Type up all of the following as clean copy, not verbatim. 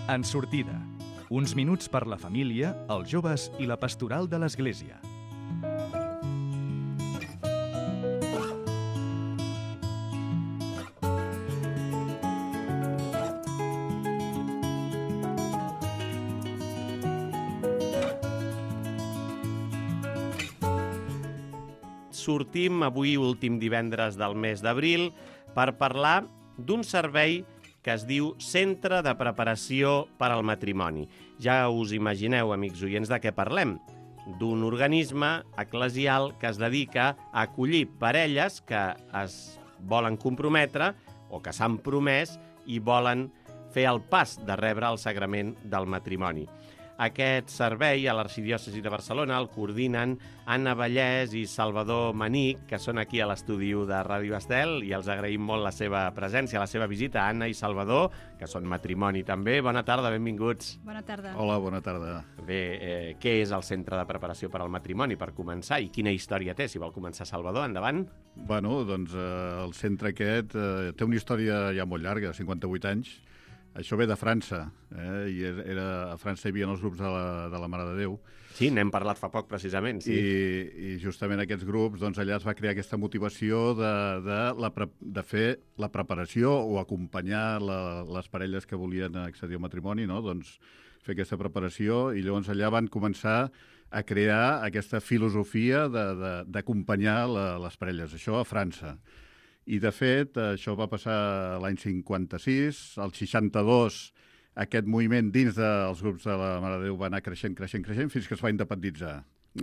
En sortida. Uns minuts per la família, els joves i la pastoral de l'Església. Sortim avui, últim divendres del mes d'abril, per parlar d'un servei que es diu Centre de Preparació per al Matrimoni. Ja us imagineu, amics oients, de què parlem. D'un organisme eclesial que es dedica a acollir parelles que es volen comprometre o que s'han promès i volen fer el pas de rebre el sagrament del matrimoni. Aquest servei a l'Arxidiòcesi de Barcelona el coordinen Anna Vallès i Salvador Manic, que són aquí a l'estudi de Ràdio Estel, i els agraïm molt la seva presència, la seva visita, Anna i Salvador, que són matrimoni també. Bona tarda, benvinguts. Bona tarda. Hola, bona tarda. Bé, què és el Centre de Preparació per al Matrimoni, per començar, i quina història té? Si vol començar Salvador, endavant. Bueno, doncs el centre aquest té una història ja molt llarga, 58 anys. Això ve de França, i a França hi havia els grups de la Mare de Déu. Sí, n'hem parlat fa poc, precisament. Sí. I justament aquests grups, doncs allà es va crear aquesta motivació de fer la preparació o acompanyar les parelles que volien accedir al matrimoni, no? Doncs fer aquesta preparació, i llavors allà van començar a crear aquesta filosofia d'acompanyar les parelles. Això a França. I, de fet, això va passar l'any 56, al 62, aquest moviment dins dels grups de la Mare de Déu va anar creixent, fins que es va independitzar.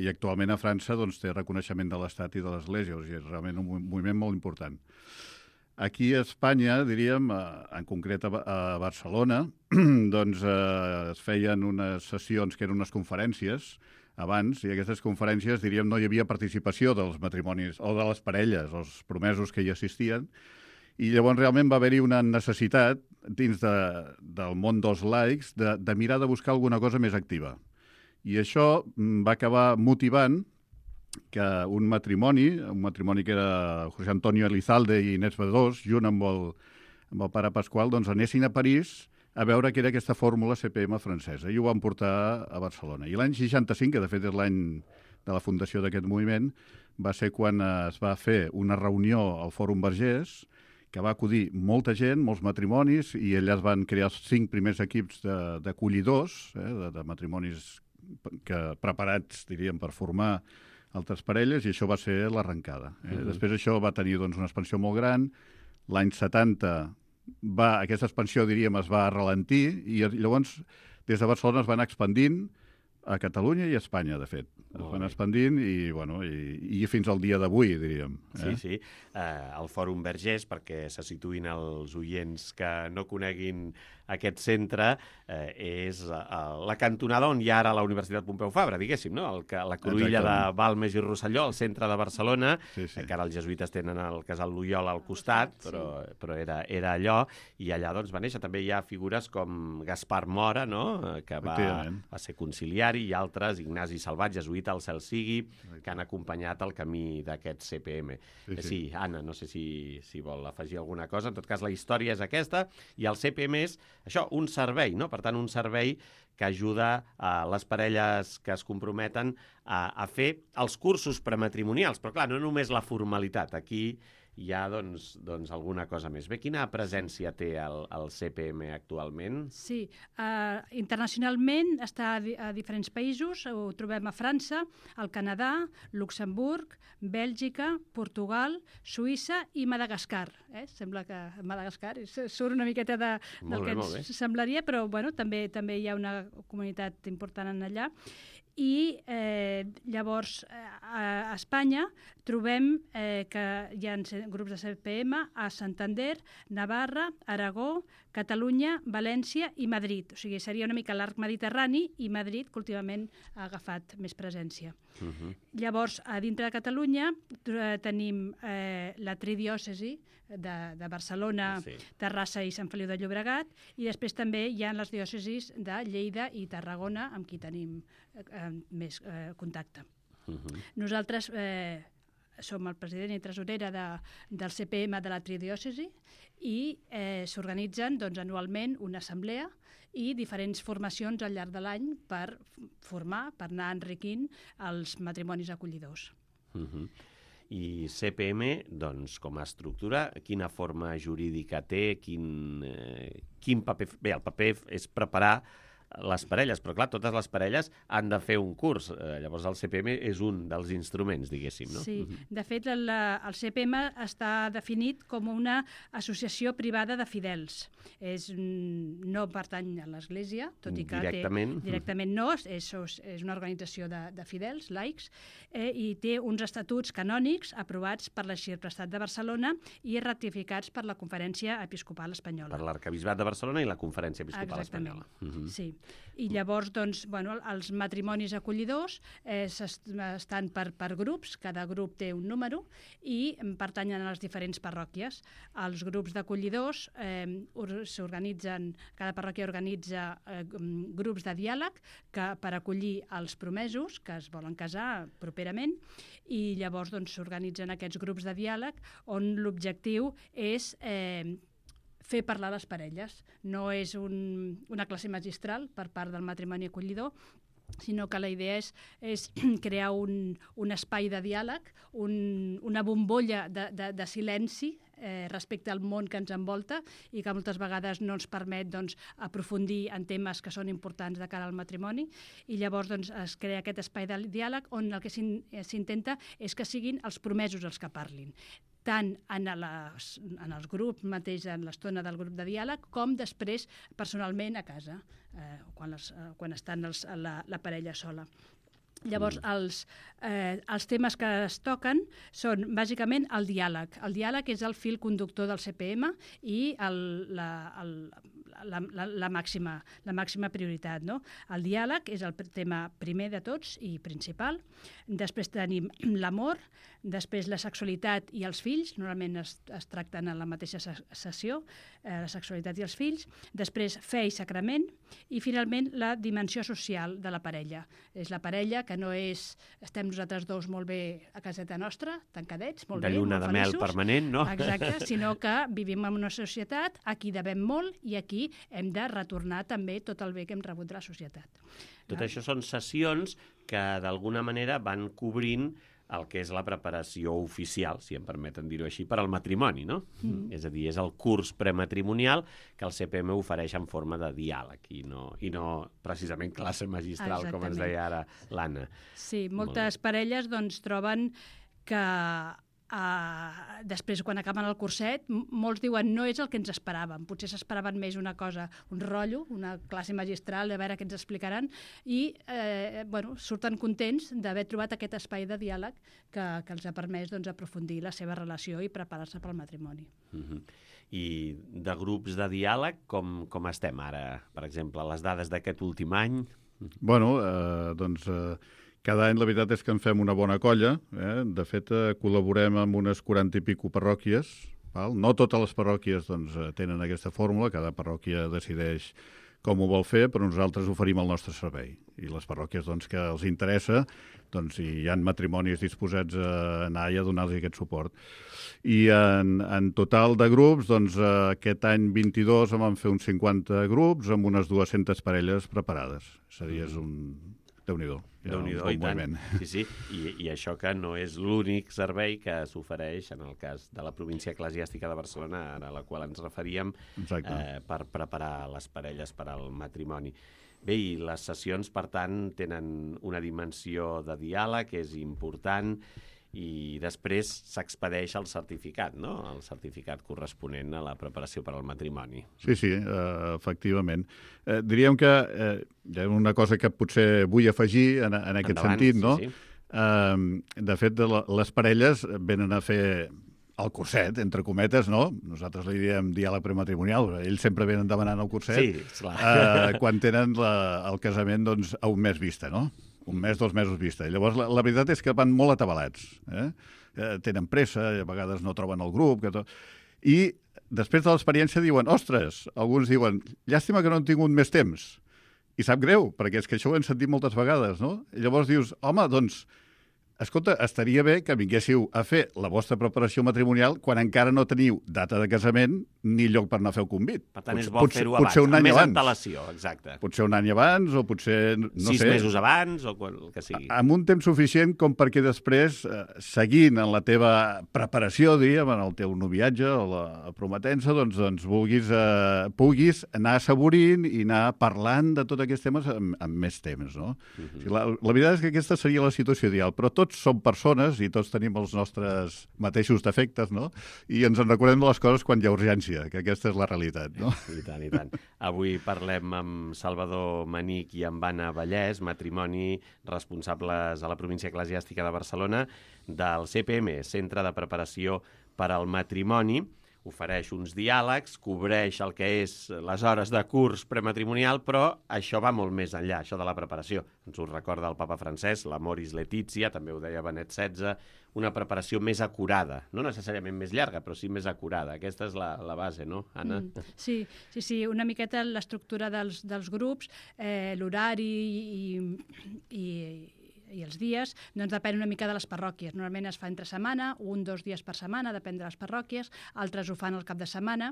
I actualment a França doncs, té reconeixement de l'Estat i de l'Església, o sigui, és realment un moviment molt important. Aquí a Espanya, diríem, en concret a Barcelona, doncs es feien unes sessions que eren unes conferències abans, i aquestes conferències, diríem, no hi havia participació dels matrimonis o de les parelles, els promesos que hi assistien, i llavors realment va haver-hi una necessitat dins del món dels laics de mirar de buscar alguna cosa més activa. I això va acabar motivant que un matrimoni que era José Antonio Elizalde i Inés Bedós, junt amb el pare Pasqual, doncs anessin a París a veure què era aquesta fórmula CPM francesa, i ho van portar a Barcelona. I l'any 65, que de fet és l'any de la fundació d'aquest moviment, va ser quan es va fer una reunió al Fòrum Vergés, que va acudir molta gent, molts matrimonis, i allà es van crear els 5 primers equips d'acollidors, de matrimonis preparats, diríem, per formar altres parelles, i això va ser l'arrencada. Després això va tenir doncs, una expansió molt gran. L'any 70 aquesta expansió, diríem, es va ralentir, i llavors des de Barcelona es van expandint a Catalunya i a Espanya, de fet. Es van expandint i fins al dia d'avui, diríem. Sí. El Fòrum Vergés, perquè se situïn els oients que no coneguin aquest centre, és la cantonada on hi ha ara la Universitat Pompeu Fabra, diguéssim, no? La cruïlla de Balmes i Rosselló, al centre de Barcelona, que ara els jesuïtes tenen el casal Loyola al costat, però era allò, i allà doncs va néixer. També hi ha figures com Gaspar Mora, no? Que va ser conciliari, i altres, Ignasi Salvat, jesuïta, al cel sigui, que han acompanyat el camí d'aquest CPM. Sí, Anna, no sé si vol afegir alguna cosa. En tot cas, la història és aquesta, i el CPM és això, un servei, no? Per tant, un servei que ajuda a les parelles que es comprometen a fer els cursos prematrimonials. Però, clar, no només la formalitat. Aquí hi ha, doncs, alguna cosa més. Bé, quina presència té el CPM actualment? Sí, internacionalment està a diferents països. Ho trobem a França, al Canadà, Luxemburg, Bèlgica, Portugal, Suïssa i Madagascar. Sembla que Madagascar surt una miqueta del que ens semblaria, però bueno, també hi ha una comunitat important allà. I llavors a Espanya trobem que hi ha grups de CPM a Santander, Navarra, Aragó, Catalunya, València i Madrid. O sigui, seria una mica l'arc mediterrani, i Madrid, que últimament ha agafat més presència. Llavors, a dintre de Catalunya tenim la tridiòcesi de Barcelona, Terrassa i Sant Feliu de Llobregat, i després també hi ha les diòcesis de Lleida i Tarragona, amb qui tenim més contacte. Nosaltres som el president i tresorera del CPM de la Tridiòcesi i s'organitzen anualment una assemblea i diferents formacions al llarg de l'any per formar, per anar enriquint els matrimonis acollidors. I CPM, doncs, com a estructura, quina forma jurídica té, quin paper... Bé, el paper és preparar les parelles, però clar, totes les parelles han de fer un curs. Llavors el CPM és un dels instruments, diguéssim, no? Sí, de fet el CPM està definit com una associació privada de fidels. No pertany a l'Església, tot i que directament no, és una organització de fidels, laics, i té uns estatuts canònics aprovats per l'Arxiprestat de Barcelona i ratificats per la Conferència Episcopal Espanyola. Per l'Arquebisbat de Barcelona i la Conferència Episcopal Espanyola. Sí. I llavors, els matrimonis acollidors estan per grups, cada grup té un número i pertanyen a les diferents parròquies. Els grups d'acollidors s'organitzen, cada parròquia organitza grups de diàleg per acollir els promesos que es volen casar properament i llavors s'organitzen aquests grups de diàleg on l'objectiu és fer parlar les parelles. No és una classe magistral per part del matrimoni acollidor, sinó que la idea és crear un espai de diàleg, una bombolla de silenci respecte al món que ens envolta i que moltes vegades no ens permet aprofundir en temes que són importants de cara al matrimoni, i llavors es crea aquest espai de diàleg on el que s'intenta és que siguin els promesos els que parlin, tant en els grups mateix, en l'estona del grup de diàleg, com després personalment a casa, quan estan la parella sola. Llavors, els temes que es toquen són bàsicament el diàleg. El diàleg és el fil conductor del CPM i la màxima prioritat, no? El diàleg és el tema primer de tots i principal. Després tenim l'amor, després la sexualitat i els fills, normalment es tracten en la mateixa sessió, la sexualitat i els fills. Després fe i sacrament i finalment la dimensió social de la parella. És la parella que no és estem nosaltres dos molt bé a caseta nostra, tancadets, molt bé, molt feliços. De lluna de mel permanent, no? Exacte, sinó que vivim en una societat, aquí devem molt i aquí hem de retornar també tot el bé que hem rebut de la societat. Tot això són sessions que d'alguna manera van cobrint el que és la preparació oficial, si em permeten dir-ho així, per al matrimoni, no? És a dir, és el curs prematrimonial que el CPM ofereix en forma de diàleg i no precisament classe magistral, com ens deia ara l'Anna. Sí, moltes parelles troben que després, quan acaben el curset, molts diuen no és el que ens esperàvem. Potser s'esperaven més una cosa, un rotllo, una classe magistral, a veure què ens explicaran, i surten contents d'haver trobat aquest espai de diàleg que els ha permès aprofundir la seva relació i preparar-se pel matrimoni. I de grups de diàleg, com estem ara? Per exemple, les dades d'aquest últim any? Bueno, cada any la veritat és que en fem una bona colla. De fet, col·laborem amb unes 40 i pico parròquies. No totes les parròquies tenen aquesta fórmula, cada parròquia decideix com ho vol fer, però nosaltres oferim el nostre servei. I les parròquies que els interessa, si hi ha matrimonis disposats a anar i a donar-los aquest suport. I en total de grups, aquest any 22 en vam fer uns 50 grups amb unes 200 parelles preparades. És a dir, és un... Déu-n'hi-do. Déu-n'hi-do, i tant. Sí. I això que no és l'únic servei que s'ofereix en el cas de la província eclesiàstica de Barcelona, a la qual ens referíem, per preparar les parelles per al matrimoni. Bé, i les sessions, per tant, tenen una dimensió de diàleg que és important i després s'expedeix el certificat, no? El certificat corresponent a la preparació per al matrimoni. Sí, efectivament. Diríem que hi ha una cosa que potser vull afegir en aquest sentit, no? Sí. De fet, les parelles venen a fer el curset, entre cometes, no? Nosaltres li diem diàleg prematrimonial, ells sempre venen demanant el curset. Sí, clar. Quan tenen el casament a un mes vista, no? Un mes, 2 mesos vista. I llavors la veritat és que van molt atabalats. Tenen pressa, a vegades no troben el grup. I després de l'experiència diuen, ostres, alguns diuen, llàstima que no han tingut més temps. I sap greu, perquè és que això ho hem sentit moltes vegades, no? I llavors dius, home, escolta, estaria bé que vinguéssiu a fer la vostra preparació matrimonial quan encara no teniu data de casament ni lloc per anar a fer el convit. Per tant, és bo fer-ho abans, potser un any amb més abans. antelació, exacte. Potser un any abans o potser, no 6 sé... mesos abans o el que sigui. Amb un temps suficient com perquè després, seguint en la teva preparació, diguem, en el teu noviatge o la prometença, doncs puguis anar assaborint i anar parlant de tots aquests temes amb més temps, no? O sigui, la veritat és que aquesta seria la situació ideal, però tots som persones i tots tenim els nostres mateixos defectes, no? I ens en recordem de les coses quan hi ha urgència, que aquesta és la realitat, no? I tant, i tant. Avui parlem amb Salvador Manich i amb Anna Vallès, matrimoni responsables a la província eclesiàstica de Barcelona, del CPM, Centre de Preparació per al Matrimoni. Ofereix uns diàlegs, cobreix el que és les hores de curs prematrimonial, però això va molt més enllà, això de la preparació. Ens ho recorda el papa Francesc, l'Amoris Laetitia, també ho deia Benet XVI, una preparació més acurada, no necessàriament més llarga, però sí més acurada. Aquesta és la base, no, Anna? Sí, una miqueta l'estructura dels grups, l'horari i els dies, doncs depèn una mica de les parròquies. Normalment es fa entre setmana, 1-2 dies per setmana, depèn de les parròquies, altres ho fan al cap de setmana.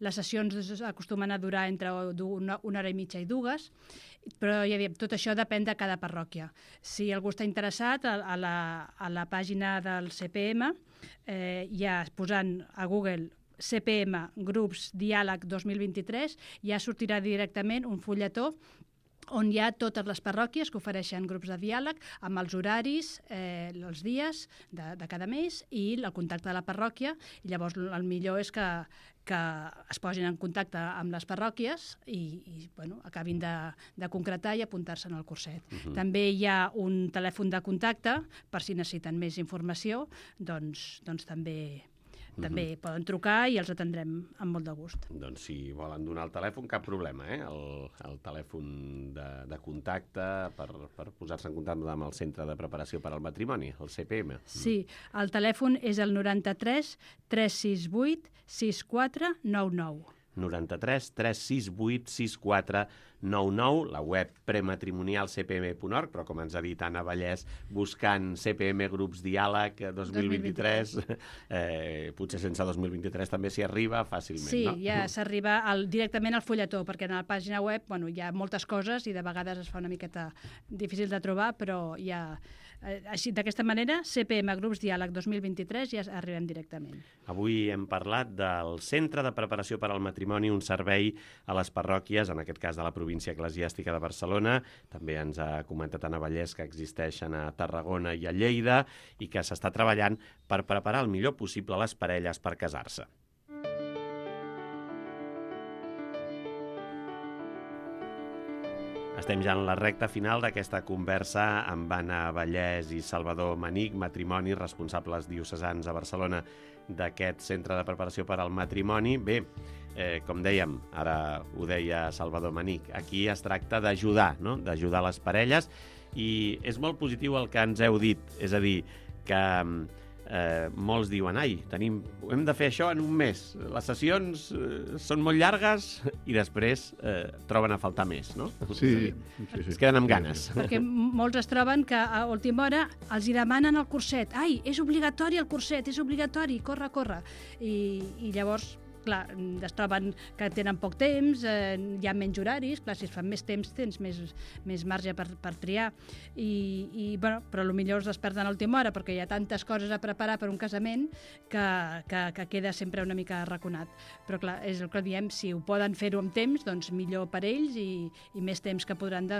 Les sessions acostumen a durar entre una hora i mitja i 2, però ja diem, tot això depèn de cada parròquia. Si algú està interessat, a la pàgina del CPM, ja posant a Google CPM Grups Diàleg 2023, ja sortirà directament un fulletó on hi ha totes les parròquies que ofereixen grups de diàleg amb els horaris, els dies de cada mes i el contacte de la parròquia. I llavors el millor és que es posin en contacte amb les parròquies i acabin de concretar i apuntar-se en el curset. També hi ha un telèfon de contacte per si necessiten més informació, doncs també poden trucar i els atendrem amb molt de gust. Doncs si volen donar el telèfon, cap problema, el telèfon de contacte per posar-se en contacte amb el Centre de Preparació per al Matrimoni, el CPM. Sí, el telèfon és el 93 368 6499. 93 368 6499, la web prematrimonialcpm.org, però com ens ha dit Anna Vallès, buscant CPM Grups Diàleg 2023, potser sense 2023 també s'hi arriba fàcilment, sí, no? Sí, ja s'arriba directament al fulletó, perquè en la pàgina web hi ha moltes coses i de vegades es fa una miqueta difícil de trobar, però ja... Així, d'aquesta manera, CPM Grups Diàleg 2023 ja arribem directament. Avui hem parlat del Centre de Preparació per al Matrimoni, un servei a les parròquies, en aquest cas de la província eclesiàstica de Barcelona. També ens ha comentat Anna Vallès que existeixen a Tarragona i a Lleida i que s'està treballant per preparar el millor possible les parelles per casar-se. Estem ja en la recta final d'aquesta conversa amb Anna Vallès i Salvador Manich, matrimoni, responsables diocesans a Barcelona d'aquest Centre de Preparació per al Matrimoni. Bé, com dèiem, ara ho deia Salvador Manich, aquí es tracta d'ajudar, no? D'ajudar les parelles, i és molt positiu el que ens heu dit, és a dir, que molts diuen, hem de fer això en un mes, les sessions són molt llargues i després troben a faltar més, no? Sí. Es queden amb ganes. Perquè molts es troben que a última hora els hi demanen el curset. És obligatori el curset, és obligatori, corre. I llavors... Clar, es troben que tenen poc temps, hi ha menys horaris, clar, si es fan més temps tens més marge per triar, però potser es desperten a l'última hora perquè hi ha tantes coses a preparar per un casament que queda sempre una mica arraconat. Però clar, és el que diem, si ho poden fer-ho amb temps, doncs millor per ells i més temps que podran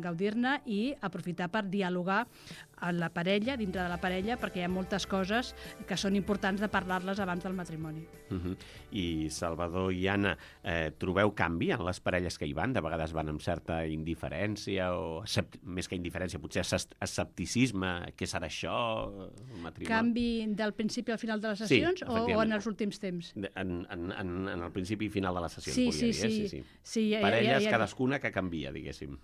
gaudir-ne i aprofitar per dialogar amb la parella, dintre de la parella, perquè hi ha moltes coses que són importants de parlar-les abans del matrimoni. I Salvador i Anna, trobeu canvi en les parelles que hi van? De vegades van amb certa indiferència o, més que indiferència, potser escepticisme, què serà això? Canvi del principi al final de les sessions o en els últims temps? En el principi i final de les sessions, sí. Parelles, cadascuna que canvia, diguéssim.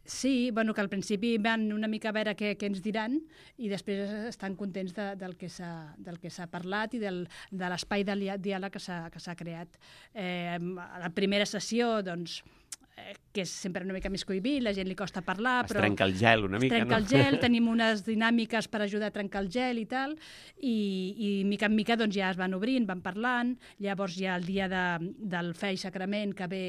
Sí, que al principi van una mica a veure què ens diran i després estan contents del que s'ha parlat i de l'espai de diàleg que s'ha creat. A la primera sessió, doncs, que és sempre una mica més cohibit, la gent li costa parlar, però... Es trenca el gel una mica, no? Es trenca el gel, tenim unes dinàmiques per ajudar a trencar el gel i tal, i mica en mica doncs, ja es van obrint, van parlant, llavors ja el dia del fe i sacrament que ve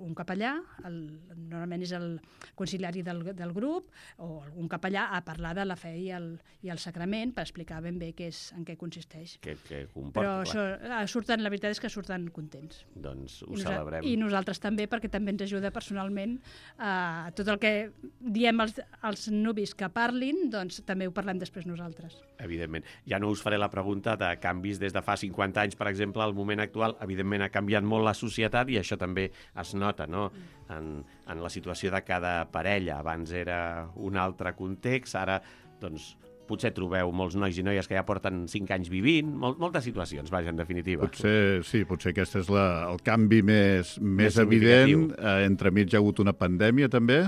un capellà, normalment és el conciliari del grup, o algun capellà a parlar de la fe i el sacrament per explicar ben bé en què consisteix. Què comporta, però la veritat és que surten contents. Doncs ho celebrem. I nosaltres també, perquè també ens ajuda personalment a tot el que diem als nuvis que parlin, doncs també ho parlem després nosaltres. Evidentment. Ja no us faré la pregunta de canvis des de fa 50 anys, per exemple, al moment actual. Evidentment ha canviat molt la societat i això també es nota, no?, en la situació de cada parella. Abans era un altre context, ara, doncs, potser trobeu molts nois i noies que ja porten 5 anys vivint, moltes situacions, vaja, en definitiva. Potser aquest és el canvi més evident. Entremig hi ha hagut una pandèmia, també,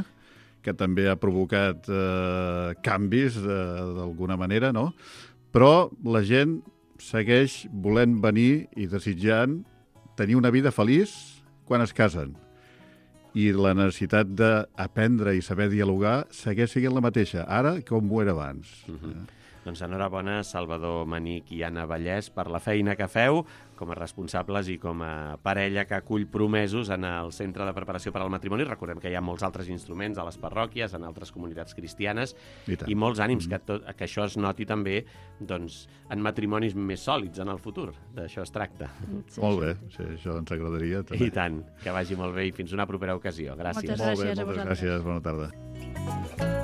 que també ha provocat canvis, d'alguna manera, no? Però la gent segueix volent venir i desitjant tenir una vida feliç quan es casen. I la necessitat d'aprendre i saber dialogar segueix sent la mateixa, ara com ho era abans. Doncs enhorabona, Salvador Manich i Anna Vallès, per la feina que feu com a responsables i com a parella que acull promesos en el Centre de Preparació per al Matrimoni. Recordem que hi ha molts altres instruments a les parròquies, en altres comunitats cristianes, i molts ànims que això es noti també doncs, en matrimonis més sòlids en el futur. D'això es tracta. Molt bé, sí, això ens agradaria. També. I tant, que vagi molt bé i fins una propera ocasió. Gràcies. Moltes gràcies a vosaltres. Moltes gràcies, bona tarda.